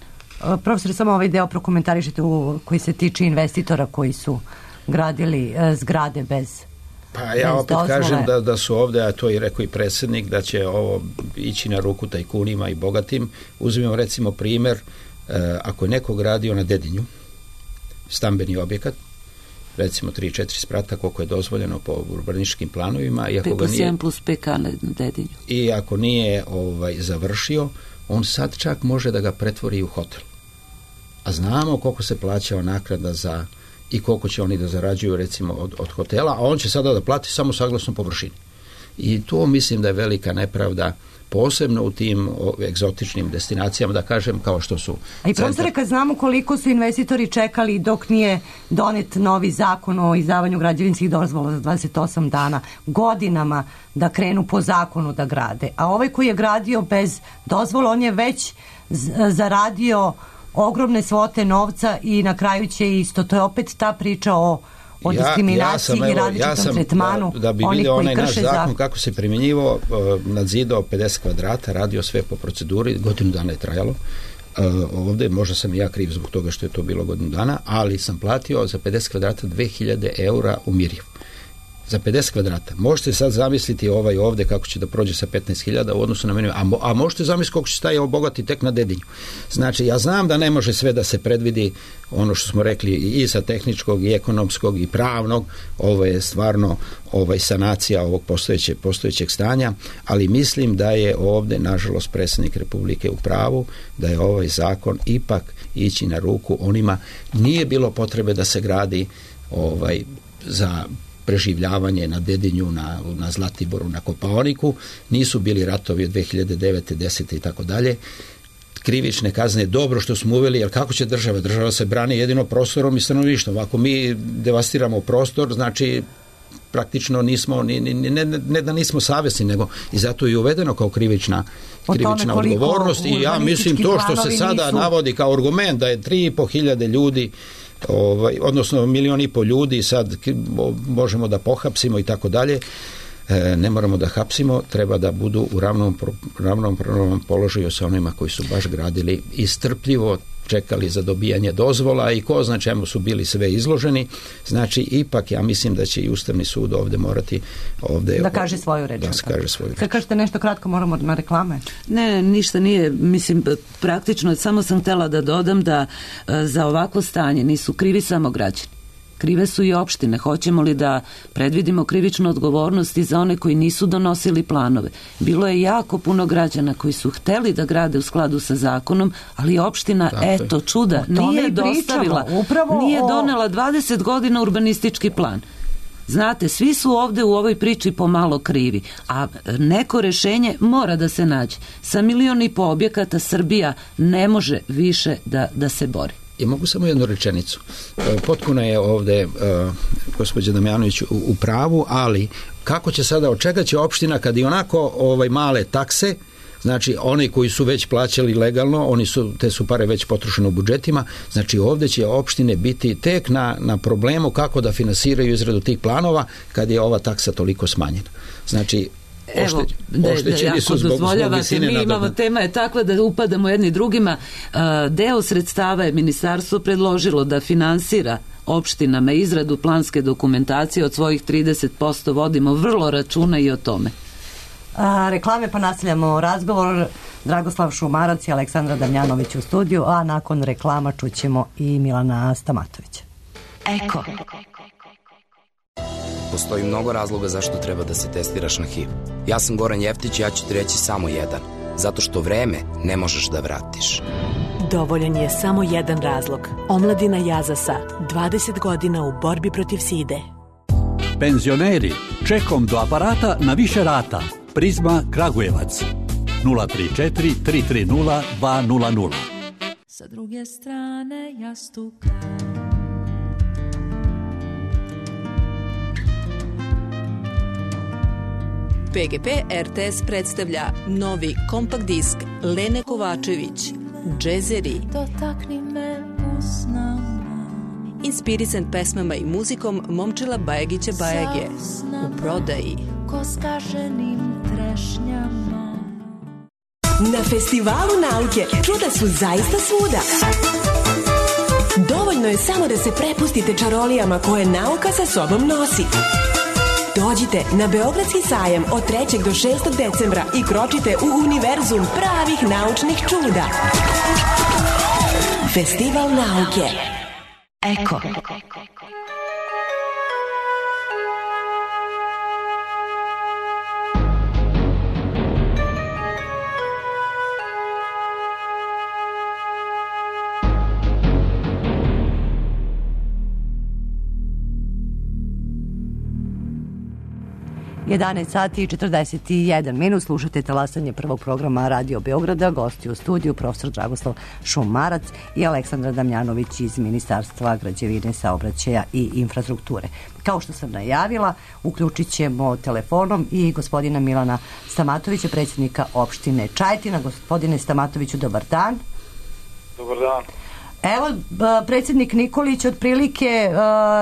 Profesor, samo ovaj deo prokomentarišite koji se tiče investitora koji su gradili zgrade bez Pa ja opet kažem da su ovde, a to je rekao i predsjednik, da će ovo ići na ruku tajkunima i bogatim. Uzmimo recimo primer, ako je neko gradio na Dedinju stambeni objekat, recimo 3-4 sprata, koliko je dozvoljeno po urbanističkim planovima, i ako ga nije, 7 plus PK na Dedinju. I ako nije završio, on sad čak može da ga pretvori u hotel. A znamo koliko se plaća naknada za i koliko će oni da zarađuju recimo od hotela, a on će sada da plati samo saglasno površini. I to mislim da je velika nepravda, posebno u tim egzotičnim destinacijama, da kažem, kao što su... A i profesore, kad znamo koliko su investitori čekali dok nije donet novi zakon o izdavanju građevinskih dozvola za 28 dana, godinama da krenu po zakonu da grade. A ovaj koji je gradio bez dozvola, on je već zaradio ogromne svote novca i na kraju će isto. To je opet ta priča o diskriminaciji i različitom tretmanu da bi onih vidio koji onaj krše naš zakon zakon. kako se primjenjivao, nadzidao 50 kvadrata, radio sve po proceduri, godinu dana je trajalo. Ovde možda sam i ja kriv zbog toga što je to bilo godinu dana, ali sam platio za 50 kvadrata 2000 eura u Mirjevu. Za 50 kvadrata. Možete sad zamisliti ovde kako će da prođe sa 15.000 u odnosu na meni, a možete zamisliti koliko će taj obogati tek na Dedinju. Znači, ja znam da ne može sve da se predvidi, ono što smo rekli i sa tehničkog i ekonomskog i pravnog, ovo je stvarno sanacija ovog postojećeg stanja, ali mislim da je ovde, nažalost, predsjednik Republike u pravu, da je ovaj zakon ipak ići na ruku onima. Nije bilo potrebe da se gradi za preživljavanje na Dedinju, na Zlatiboru, na Kopaoniku, nisu bili ratovi od 2009. 10. i tako dalje. Krivične kazne, dobro što smo uveli, jer kako će država? Država se brani jedino prostorom i stanovništvom. Ako mi devastiramo prostor, znači praktično nismo, ne da nismo savjesni, nego i zato je uvedeno kao krivična odgovornost. I ja mislim to što se sada navodi kao argument da je 3.500 ljudi, odnosno 1,5 milion ljudi sad možemo da pohapsimo i tako dalje, ne moramo da hapsimo, treba da budu u ravnopravnom položaju sa onima koji su baš gradili i strpljivo čekali za dobijanje dozvola i ko zna čemu su bili sve izloženi. Znači, ipak ja mislim da će i Ustavni sud ovde morati da kaže svoju reč. Kad kažete nešto kratko, moramo na reklame? Ne, ništa nije, mislim, praktično samo sam htela da dodam da za ovakvo stanje nisu krivi samo građani. Krive su i opštine. Hoćemo li da predvidimo krivičnu odgovornost i za one koji nisu donosili planove? Bilo je jako puno građana koji su hteli da grade u skladu sa zakonom, ali opština, eto čuda, nije dostavila, nije donela 20 godina urbanistički plan. Znate, svi su ovde u ovoj priči pomalo krivi, a neko rešenje mora da se nađe. Sa 1,5 miliona objekata Srbija ne može više da se bori. I mogu samo jednu rečenicu. Potpuno je ovde gospođa Damjanović u pravu, ali kako će sada, od čega će opština kad i onako male takse, znači oni koji su već plaćali legalno, te su pare već potrošene u budžetima, znači ovde će opštine biti tek na problemu kako da finansiraju izradu tih planova kad je ova taksa toliko smanjena. Znači, evo, ako dozvoljavate, mi imamo, tema je takva da upadamo jedni drugima. Deo sredstava je ministarstvo predložilo da finansira opštinama izradu planske dokumentacije od svojih 30%, vodimo vrlo računa i o tome. Reklame, pa nastavljamo razgovor. Dragoslav Šumarac i Aleksandra Damjanović u studiju, a nakon reklama čućemo i Milana Stamatovića. Eko. Postoji mnogo razloga zašto treba da se testiraš na HIV. Ja sam Goran Jeftić i ja ću ti reći samo jedan. Zato što vreme ne možeš da vratiš. Dovoljan je samo jedan razlog. Omladina Jazasa, 20 godina u borbi protiv side. Penzioneri, čekom do aparata na više rata. Prizma Kragujevac. 034 330 200. Sa druge strane jastuka. PGP RTS predstavlja novi kompakt disk Lene Kovačević, Džezeri. Dotakni me usnama. Inspirisan pesmama i muzikom Momčila Bajagića Bajage. U prodaji. Ko skaženim trešnjama. Na Festivalu nauke čuda su zaista svuda. Dovoljno je samo da se prepustite čarolijama koje nauka sa sobom nosi. Dođite na Beogradski sajam od 3. do 6. decembra i kročite u univerzum pravih naučnih čuda. Festival nauke. Eko. 11 sati i 41 minut, slušate talasanje prvog programa Radio Beograda, gosti u studiju profesor Dragoslav Šumarac i Aleksandra Damjanović iz Ministarstva građevine, saobraćaja i infrastrukture. Kao što sam najavila, uključit ćemo telefonom i gospodina Milana Stamatovića, predsjednika opštine Čajetina. Gospodine Stamatoviću, dobar dan. Dobar dan. Evo, predsjednik Nikolić otprilike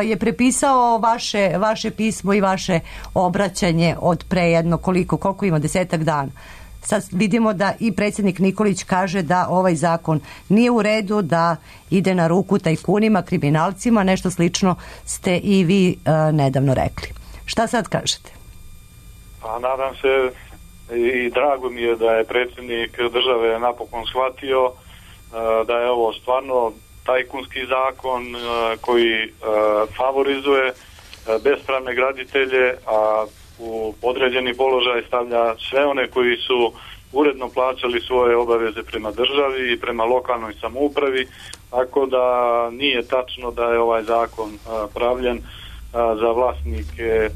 je prepisao vaše pismo i vaše obraćanje od pre jedno koliko ima 10 dana. Sad vidimo da i predsjednik Nikolić kaže da ovaj zakon nije u redu, da ide na ruku tajkunima, kriminalcima, nešto slično ste i vi nedavno rekli. Šta sad kažete? Pa nadam se i drago mi je da je predsjednik države napokon shvatio da je ovo stvarno tajkunski zakon koji favorizuje bespravne graditelje, a u podređeni položaj stavlja sve one koji su uredno plaćali svoje obaveze prema državi i prema lokalnoj samoupravi, tako da nije tačno da je ovaj zakon pravljen za vlasnike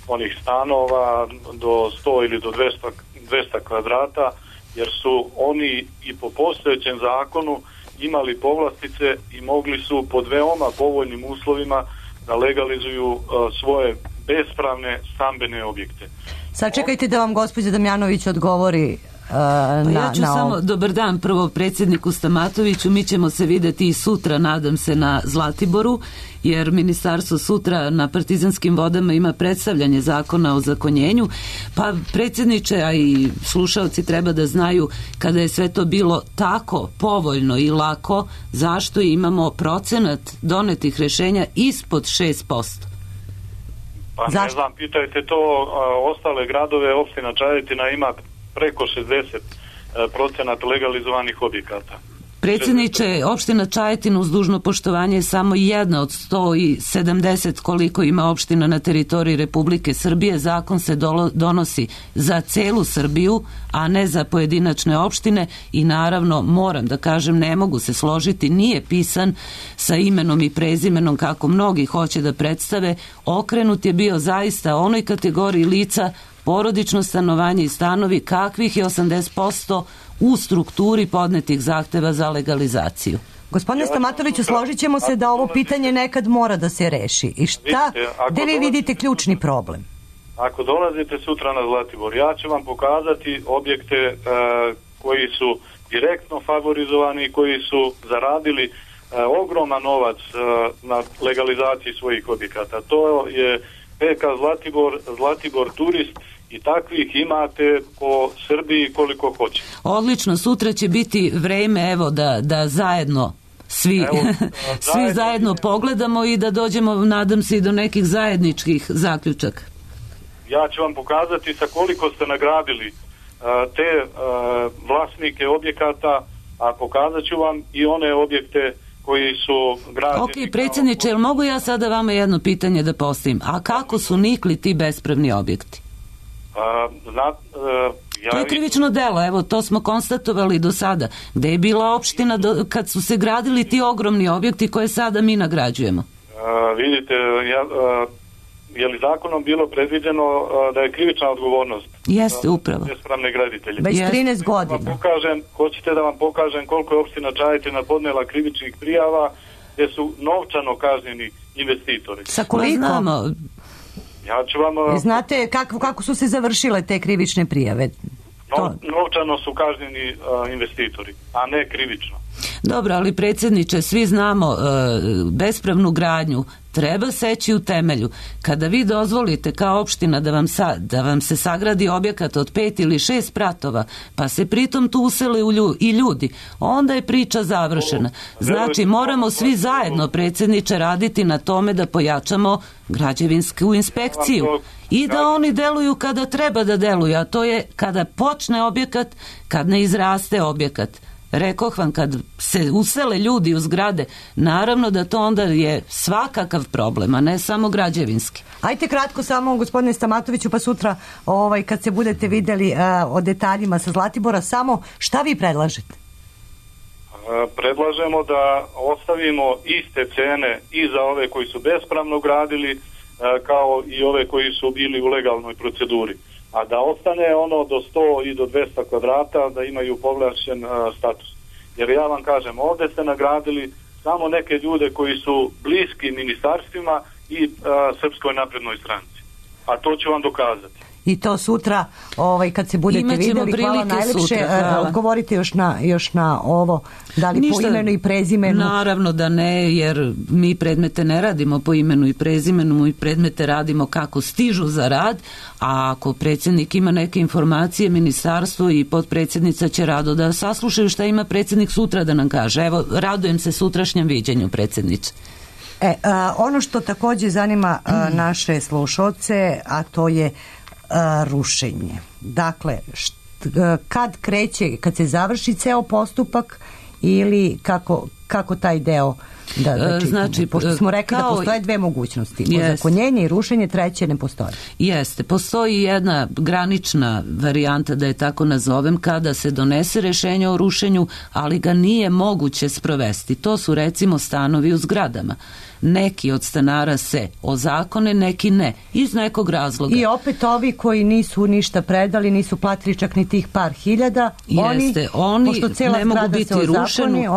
onih stanova do 100 ili do 200 kvadrata, jer su oni i po postojećem zakonu imali povlastice i mogli su pod veoma povoljnim uslovima da legalizuju svoje bespravne stambene objekte. Sad čekajte da vam gospođa Damjanović odgovori ja ću samo, dobar dan prvo predsjedniku Stamatoviću, mi ćemo se vidjeti i sutra, nadam se, na Zlatiboru, jer ministarstvo sutra na Partizanskim vodama ima predstavljanje zakona o zakonjenju, pa predsjedniče, a i slušalci treba da znaju, kada je sve to bilo tako povoljno i lako, zašto imamo procenat donetih rješenja ispod 6%? Pa ne znam, pitajte to ostale gradove, opština Čajetina ima preko 60% legalizovanih objekata. Predsjedniče, opština Čajetina uz dužno poštovanje je samo jedna od 170 koliko ima opština na teritoriji Republike Srbije. Zakon se donosi za celu Srbiju, a ne za pojedinačne opštine i naravno, moram da kažem, ne mogu se složiti, nije pisan sa imenom i prezimenom kako mnogi hoće da predstave. Okrenut je bio zaista onoj kategoriji lica porodično stanovanje i stanovi kakvih je 80% u strukturi podnetih zahteva za legalizaciju. Gospodine Stamatoviću, složit ćemo se da ovo pitanje nekad mora da se reši. I šta, gde vi vidite ključni problem? Ako dolazite sutra na Zlatibor, ja ću vam pokazati objekte koji su direktno favorizovani i koji su zaradili ogroman novac na legalizaciji svojih objekata. To je PK Zlatibor Turist i takvih imate po Srbiji koliko hoće. Odlično, sutra će biti vreme, evo, da zajedno svi zajedno pogledamo i da dođemo, nadam se, i do nekih zajedničkih zaključaka. Ja ću vam pokazati sa koliko ste nagradili te vlasnike objekata, a pokazat ću vam i one objekte koji su građeni. Ok, predsjedniče, jel mogu ja sada vama jedno pitanje da postavim? A kako su nikli ti bespravni objekti? To je krivično delo, evo, to smo konstatovali do sada. Gde je bila opština kad su se gradili ti ogromni objekti koje sada mi nagrađujemo? Vidite, je li zakonom bilo predviđeno da je krivična odgovornost? Jeste, upravo. Bespravne graditelje. Već 13 godina. Hoćete da vam pokažem koliko je opština Čajetina podnela krivičnih prijava gdje su novčano kažnjeni investitori. Sa koliko? Znamo. Ja ću vam... Znate kako su se završile te krivične prijave? Novčano su kažnjeni investitori, a ne krivično. Dobro, ali predsjedniče, svi znamo bespravnu gradnju treba seći u temelju. Kada vi dozvolite kao opština da vam se sagradi objekat od 5 ili 6 spratova, pa se pritom tu usele i ljudi, onda je priča završena. Znači, moramo svi zajedno, predsjedniče, raditi na tome da pojačamo građevinsku inspekciju i da oni deluju kada treba da deluju, a to je kada počne objekat, kad ne izraste objekat. Rekoh vam, kad se usele ljudi u zgrade, naravno da to onda je svakakav problem, a ne samo građevinski. Ajte kratko samo, gospodine Stamatoviću, pa sutra kad se budete vidjeli o detaljima sa Zlatibora, samo šta vi predlažete? Predlažemo da ostavimo iste cene i za ove koji su bespravno gradili, kao i ove koji su bili u legalnoj proceduri. A da ostane ono do 100 i do 200 kvadrata, da imaju povlašćen status. Jer ja vam kažem, ovdje ste nagradili samo neke ljude koji su bliski ministarstvima i Srpskoj naprednoj stranci. A to ću vam dokazati. I to sutra, kad se budete vidjeli, hvala najlepše. Odgovorite još na ovo, da li po imenu i prezimenu? Naravno da ne, jer mi predmete ne radimo po imenu i prezimenu, mi predmete radimo kako stižu za rad, a ako predsjednik ima neke informacije, ministarstvo i potpredsjednica će rado da saslušaju šta ima predsjednik sutra da nam kaže. Evo, radujem se sutrašnjem viđenju, predsjedniče. Ono što također zanima naše slušalce, a to je rušenje. Dakle, kad kreće, kad se završi ceo postupak ili kako taj deo da čitamo? Znači, pošto smo rekli da postoje dve mogućnosti. Ozakonjenje i rušenje, treće ne postoje. Jeste, postoji jedna granična varijanta, da je tako nazovem, kada se donese rješenje o rušenju, ali ga nije moguće sprovesti. To su recimo stanovi u zgradama. Neki od stanara se ozakone, neki ne, iz nekog razloga. I opet ovi koji nisu ništa predali, nisu platili čak ni tih par hiljada, oni ne mogu biti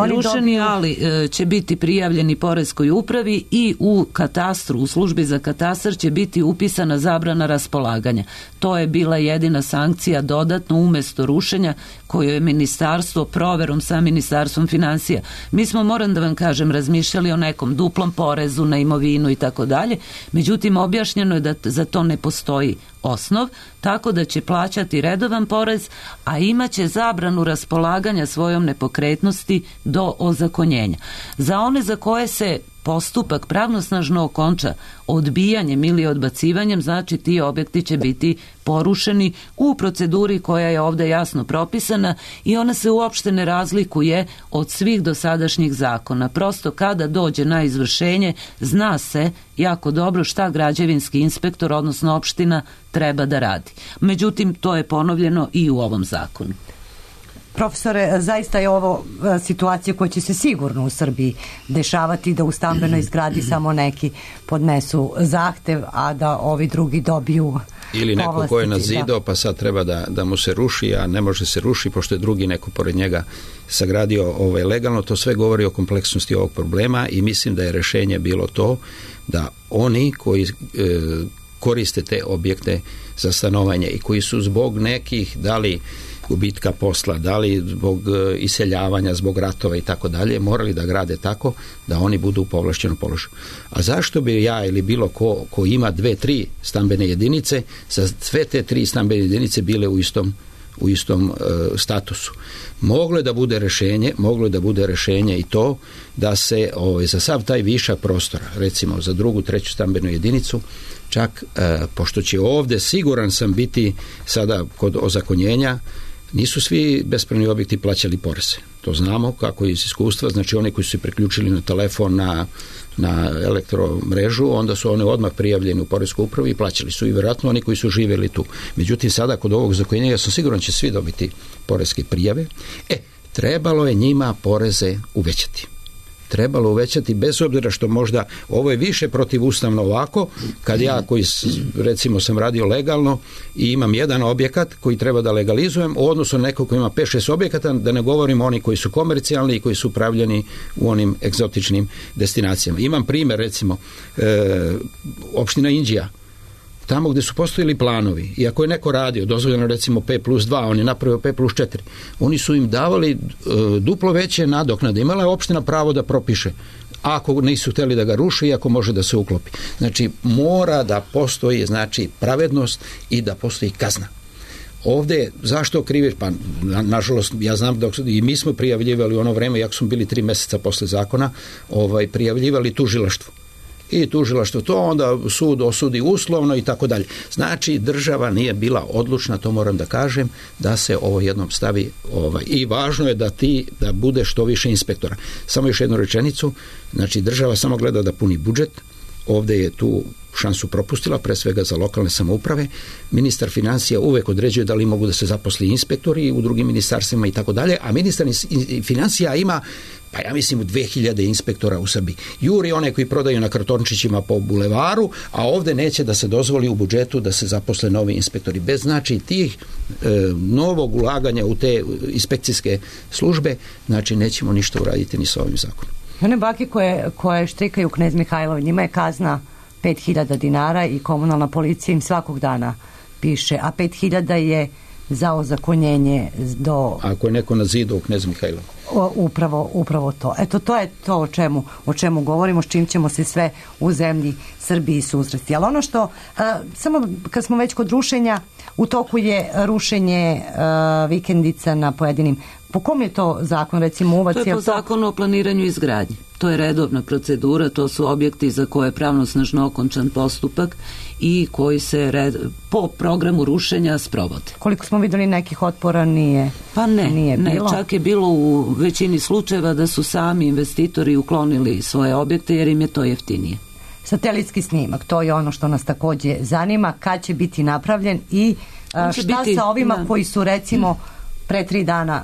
rušeni, ali će biti prijavljeni poreskoj upravi i u katastru, u službi za katastar će biti upisana zabrana raspolaganja. To je bila jedina sankcija dodatno umjesto rušenja koju je ministarstvo proverom sa ministarstvom financija. Mi smo, moram da vam kažem, razmišljali o nekom duplom porezu na imovinu i tako dalje, međutim objašnjeno je da za to ne postoji osnov, tako da će plaćati redovan porez, a imaće zabranu raspolaganja svojom nepokretnosti do ozakonjenja. Za one za koje se postupak pravnosnažno okonča odbijanjem ili odbacivanjem, znači ti objekti će biti porušeni u proceduri koja je ovdje jasno propisana i ona se uopšte ne razlikuje od svih dosadašnjih zakona. Prosto kada dođe na izvršenje, zna se jako dobro šta građevinski inspektor, odnosno opština, treba da radi. Međutim, to je ponovljeno i u ovom zakonu. Profesore, zaista je ovo situacija koja će se sigurno u Srbiji dešavati, da u stambenoj zgradi samo neki podnesu zahtev, a da ovi drugi dobiju ili neko ko je nazidao pa sad treba da mu se ruši, a ne može se ruši pošto je drugi neko pored njega sagradio legalno. To sve govori o kompleksnosti ovog problema i mislim da je rješenje bilo to da oni koji koriste te objekte za stanovanje i koji su zbog nekih, da li gubitka posla, da li zbog iseljavanja, zbog ratova i tako dalje, morali da grade tako da oni budu u povlašćenom položaju. A zašto bi ja ili bilo ko ima 2-3 stambene jedinice, sa sve te 3 stambene jedinice bile u istom statusu? Moglo je da bude rješenje i to da se za sav taj višak prostora, recimo za drugu, treću stambenu jedinicu, čak pošto će ovdje, siguran sam, biti sada kod ozakonjenja, nisu svi bespravni objekti plaćali poreze. To znamo kako iz iskustva, znači oni koji su se priključili na telefon, na elektromrežu, onda su oni odmah prijavljeni u poreskoj upravi i plaćali su i vjerojatno oni koji su živjeli tu. Međutim, sada kod ovog zakonjenja, ja sam siguran će svi dobiti poreske prijave. Trebalo je njima poreze uvećati. trebalo uvećati, bez obzira što možda ovo je više protivustavno ovako, kad ja koji recimo sam radio legalno i imam jedan objekat koji treba da legalizujem u odnosu na nekog koji ima 5-6 objekata, da ne govorim oni koji su komercijalni i koji su upravljeni u onim egzotičnim destinacijama. Imam primjer, recimo, opština Inđija, tamo gdje su postojili planovi, i ako je neko radio, dozvoljeno recimo P+2, on je napravio P+4, oni su im davali duplo veće nadoknade. Imala je opština pravo da propiše, ako nisu htjeli da ga ruši i ako može da se uklopi. Znači, mora da postoji, znači, pravednost i da postoji kazna. Ovdje, zašto kriviš? Pa, nažalost, ja znam da i mi smo prijavljivali u ono vreme, jako smo bili 3 mjeseca posle zakona, prijavljivali tužilaštvu. I tužilaštvo to, onda sud osudi uslovno i tako dalje. Znači, država nije bila odlučna, to moram da kažem, da se ovo jednom stavi i važno je da bude što više inspektora. Samo još jednu rečenicu, znači država samo gleda da puni budžet, ovdje je tu šansu propustila, pre svega za lokalne samouprave. Ministar financija uvek određuje da li mogu da se zaposli inspektori u drugim ministarstvima i tako dalje, a ministar financija ima, pa ja mislim, 2000 inspektora u Srbiji. Juri one koji prodaju na kartončićima po bulevaru, a ovdje neće da se dozvoli u budžetu da se zaposle novi inspektori. Bez znači tih novog ulaganja u te inspekcijske službe, znači nećemo ništa uraditi ni sa ovim zakonom. One bake koje štrikaju Knez Mihajlov, njima je kazna 5.000 dinara i komunalna policija im svakog dana piše, a 5.000 je za ozakonjenje do... Ako je neko na zidu u Knez Mihajlov. Upravo to. Eto, to je to o čemu govorimo, s čim ćemo se sve u zemlji Srbiji susresti. Ali ono što, samo kad smo već kod rušenja, u toku je rušenje vikendica na pojedinim. Po kom je to zakon, recimo Uvac? To je po zakonu o planiranju i izgradnji. To je redovna procedura, to su objekti za koje je pravnosnažno okončan postupak i koji se po programu rušenja sprovode. Koliko smo vidjeli nekih otpora nije? Pa ne, čak je bilo u većini slučajeva da su sami investitori uklonili svoje objekte jer im je to jeftinije. Satelitski snimak, to je ono što nas također zanima, kad će biti napravljen i šta sa ovima koji su recimo pre 3 dana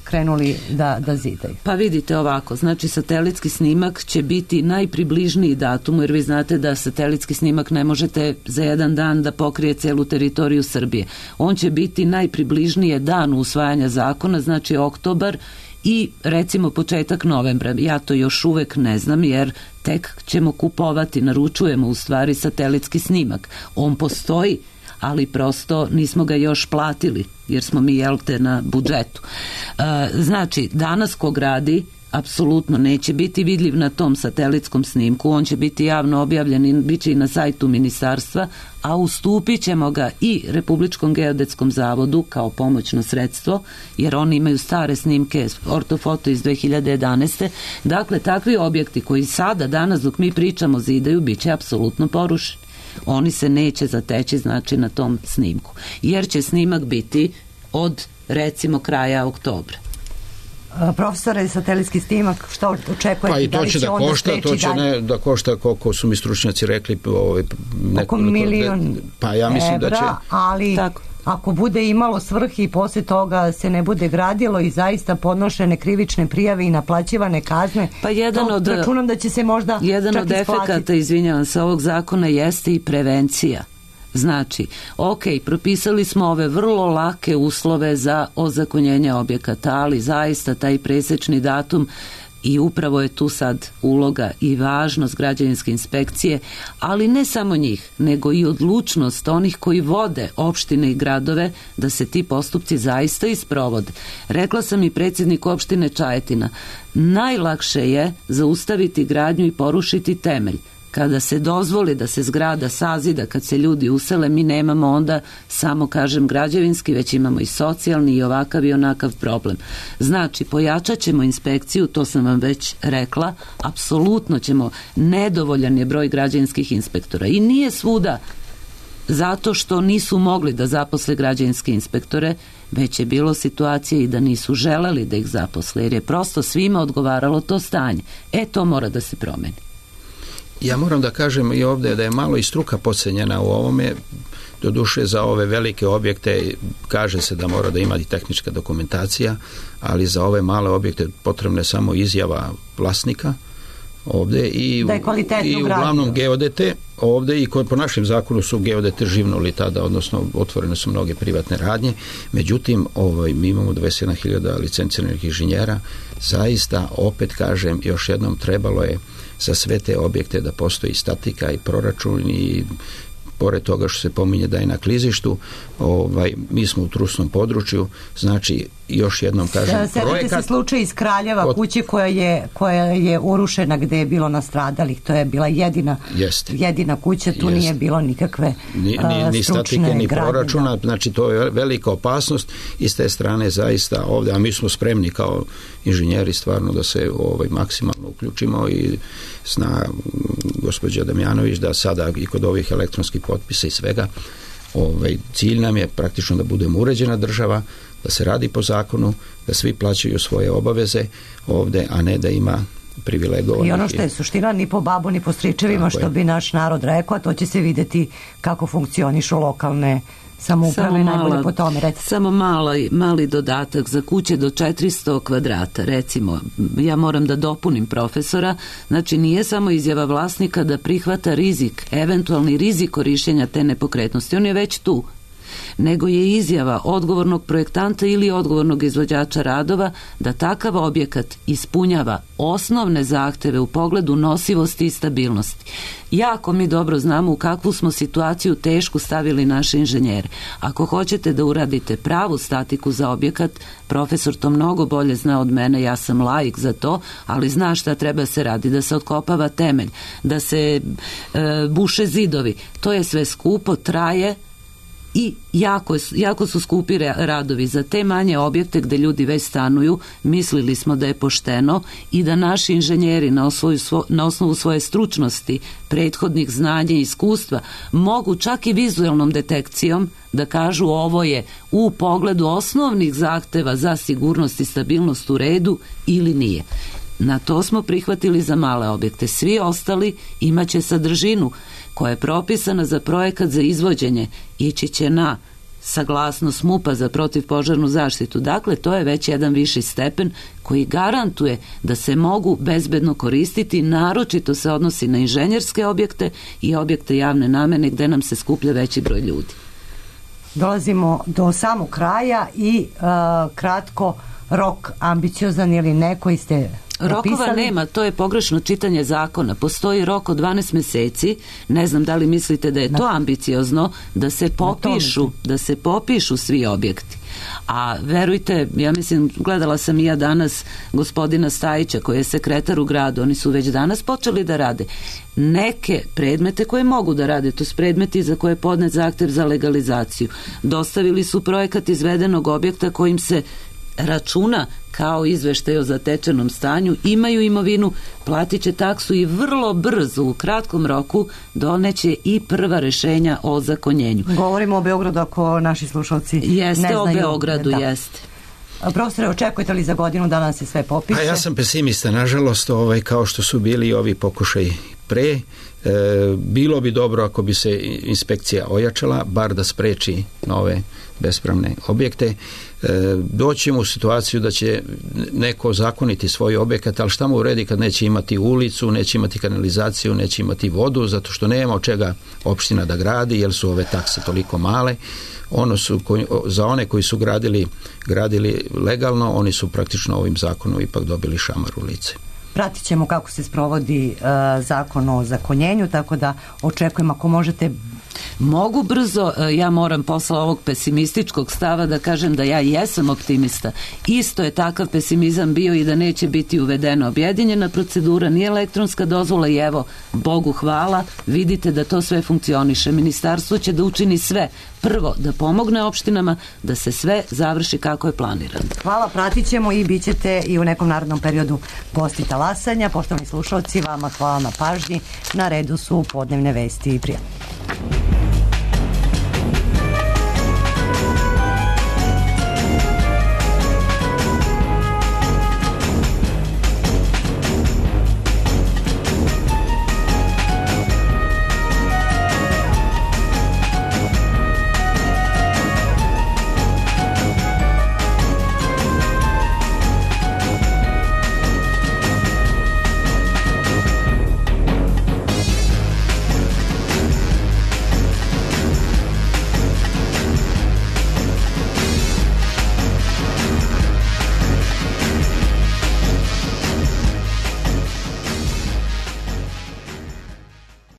krenuli da zidaju. Pa vidite ovako, znači satelitski snimak će biti najpribližniji datumu, jer vi znate da satelitski snimak ne možete za jedan dan da pokrije celu teritoriju Srbije. On će biti najpribližnije danu usvajanja zakona, znači oktobar i recimo početak novembra. Ja to još uvek ne znam jer tek ćemo kupovati, naručujemo u stvari satelitski snimak. On postoji, ali prosto nismo ga još platili jer smo mi na budžetu. Znači, danas ko gradi apsolutno neće biti vidljiv na tom satelitskom snimku, on će biti javno objavljen i bit će i na sajtu ministarstva, a ustupit ćemo ga i Republičkom geodetskom zavodu kao pomoćno sredstvo, jer oni imaju stare snimke ortofoto iz 2011. Dakle, takvi objekti koji sada, danas dok mi pričamo zidaju, bit će apsolutno porušeni. Oni se neće zateći, znači, na tom snimku, jer će snimak biti od recimo kraja oktobra. Profesore, satelitski snimak, što očekujete? Pa i to će da košta, to će da košta, koliko su mi stručnjaci rekli, oko milion pa ja mislim evra, da će, ali tako, ako bude imalo svrhe i poslije toga se ne bude gradilo i zaista podnošene krivične prijave i naplaćivane kazne, pa računam da će se možda jedan od efekata, izvinjavam se, ovog zakona jeste i prevencija. Znači, propisali smo ove vrlo lake uslove za ozakonjenje objekata, ali zaista taj presečni datum, i upravo je tu sad uloga i važnost građevinske inspekcije, ali ne samo njih, nego i odlučnost onih koji vode opštine i gradove da se ti postupci zaista isprovode. Rekla sam i predsjedniku opštine Čajetina, najlakše je zaustaviti gradnju i porušiti temelj. Kada se dozvoli da se zgrada sazida, kad se ljudi usele, mi nemamo onda samo, kažem, građevinski, već imamo i socijalni i ovakav i onakav problem. Znači, pojačat ćemo inspekciju, to sam vam već rekla, apsolutno ćemo, nedovoljan je broj građevinskih inspektora i nije svuda zato što nisu mogli da zaposle građevinske inspektore, već je bilo situacije i da nisu želeli da ih zaposle, jer je prosto svima odgovaralo to stanje. To mora da se promeni. Ja moram da kažem i ovdje da je malo i struka podcenjena u ovome, doduše za ove velike objekte kaže se da mora da ima i tehnička dokumentacija, ali za ove male objekte potrebna je samo izjava vlasnika ovde i uglavnom geodete ovde i po našem zakonu su geodete živnuli tada, odnosno otvorene su mnoge privatne radnje, međutim mi imamo 27.000 licenciranih inženjera, zaista opet kažem još jednom trebalo je za sve te objekte da postoji statika i proračun i pored toga što se pominje da je na klizištu, mi smo u trusnom području, znači još jednom kažem projekat... se slučaj iz Kraljeva, kuće koja je urušena gde je bilo nastradalih, to je bila jedina kuća, tu nije bilo nikakve ni statike, ni proračuna, znači to je velika opasnost i s te strane zaista ovde, a mi smo spremni kao inženjeri stvarno da se maksimalno uključimo i zna gospođa Damjanović da sada i kod ovih elektronskih potpisa i svega, cilj nam je praktično da budemo uređena država, da se radi po zakonu, da svi plaćaju svoje obaveze ovde, a ne da ima privilegovanih. I ono što je suština, ni po babu, ni po stričevima, što bi naš narod rekao, to će se videti kako funkcionišu lokalne samouprave, najbolje po tome. Samo mali dodatak za kuće do 400 kvadrata, recimo, ja moram da dopunim profesora, znači nije samo izjava vlasnika da prihvata rizik, eventualni rizik korišćenja te nepokretnosti, on je već tu, nego je izjava odgovornog projektanta ili odgovornog izvođača radova da takav objekat ispunjava osnovne zahteve u pogledu nosivosti i stabilnosti. Jako mi dobro znamo u kakvu smo situaciju tešku stavili naše inženjere. Ako hoćete da uradite pravu statiku za objekat, profesor to mnogo bolje zna od mene, ja sam laik za to, ali zna šta treba se radi, da se otkopava temelj, da se buše zidovi. To je sve skupo, traje, i jako su skupi radovi. Za te manje objekte gde ljudi već stanuju, mislili smo da je pošteno i da naši inženjeri na osnovu svoje stručnosti, prethodnih znanja i iskustva mogu čak i vizualnom detekcijom da kažu ovo je u pogledu osnovnih zahteva za sigurnost i stabilnost u redu ili nije. Na to smo prihvatili za male objekte. Svi ostali imaće sadržinu koja je propisana za projekat za izvođenje, ići će na saglasnost MUP-a za protivpožarnu zaštitu. Dakle, to je već jedan viši stepen koji garantuje da se mogu bezbedno koristiti, naročito se odnosi na inženjerske objekte i objekte javne namene gde nam se skuplja veći broj ljudi. Dolazimo do samog kraja i kratko, rok ambiciozan ili ne koji ste propisali? Rokova nema, to je pogrešno čitanje zakona. Postoji rok od 12 meseci, ne znam da li mislite da je to ambiciozno, da se popišu svi objekti. A verujte, ja mislim, gledala sam i ja danas gospodina Stajića koji je sekretar u gradu, oni su već danas počeli da rade neke predmete koje mogu da rade, to su predmeti za koje je podnet zahtev za legalizaciju. Dostavili su projekat izvedenog objekta kojim se računa kao izveštaj o zatečenom stanju, imaju imovinu, platit će taksu i vrlo brzo, u kratkom roku, doneće i prva rešenja o zakonjenju. Govorimo o Beogradu ako naši slušalci ne znaju. O Beogradu, jeste. Profesore, očekujete li za godinu da nam se sve popiše? Ja sam pesimista, nažalost, kao što su bili ovi pokušaj pre, bilo bi dobro ako bi se inspekcija ojačala, bar da spreči nove bespravne objekte. Doćemo u situaciju da će neko zakoniti svoj objekat, ali šta mu uredi kad neće imati ulicu, neće imati kanalizaciju, neće imati vodu, zato što nema od čega opština da gradi, jer su ove takse toliko male. Za one koji su gradili legalno, oni su praktično ovim zakonom ipak dobili šamar u lice. Pratit ćemo kako se sprovodi zakon o zakonjenju, tako da očekujem ako možete. Mogu brzo, ja moram posle ovog pesimističkog stava da kažem da ja jesam optimista. Isto je takav pesimizam bio i da neće biti uvedena objedinjena procedura, ni elektronska dozvola i evo, Bogu hvala, vidite da to sve funkcioniše. Ministarstvo će da učini sve. Prvo, da pomogne opštinama da se sve završi kako je planirano. Hvala, pratit ćemo i bit ćete i u nekom narodnom periodu gosti Talasanja. Poštovani slušalci, vama hvala na pažnji. Na redu su podnevne vesti i prijatno.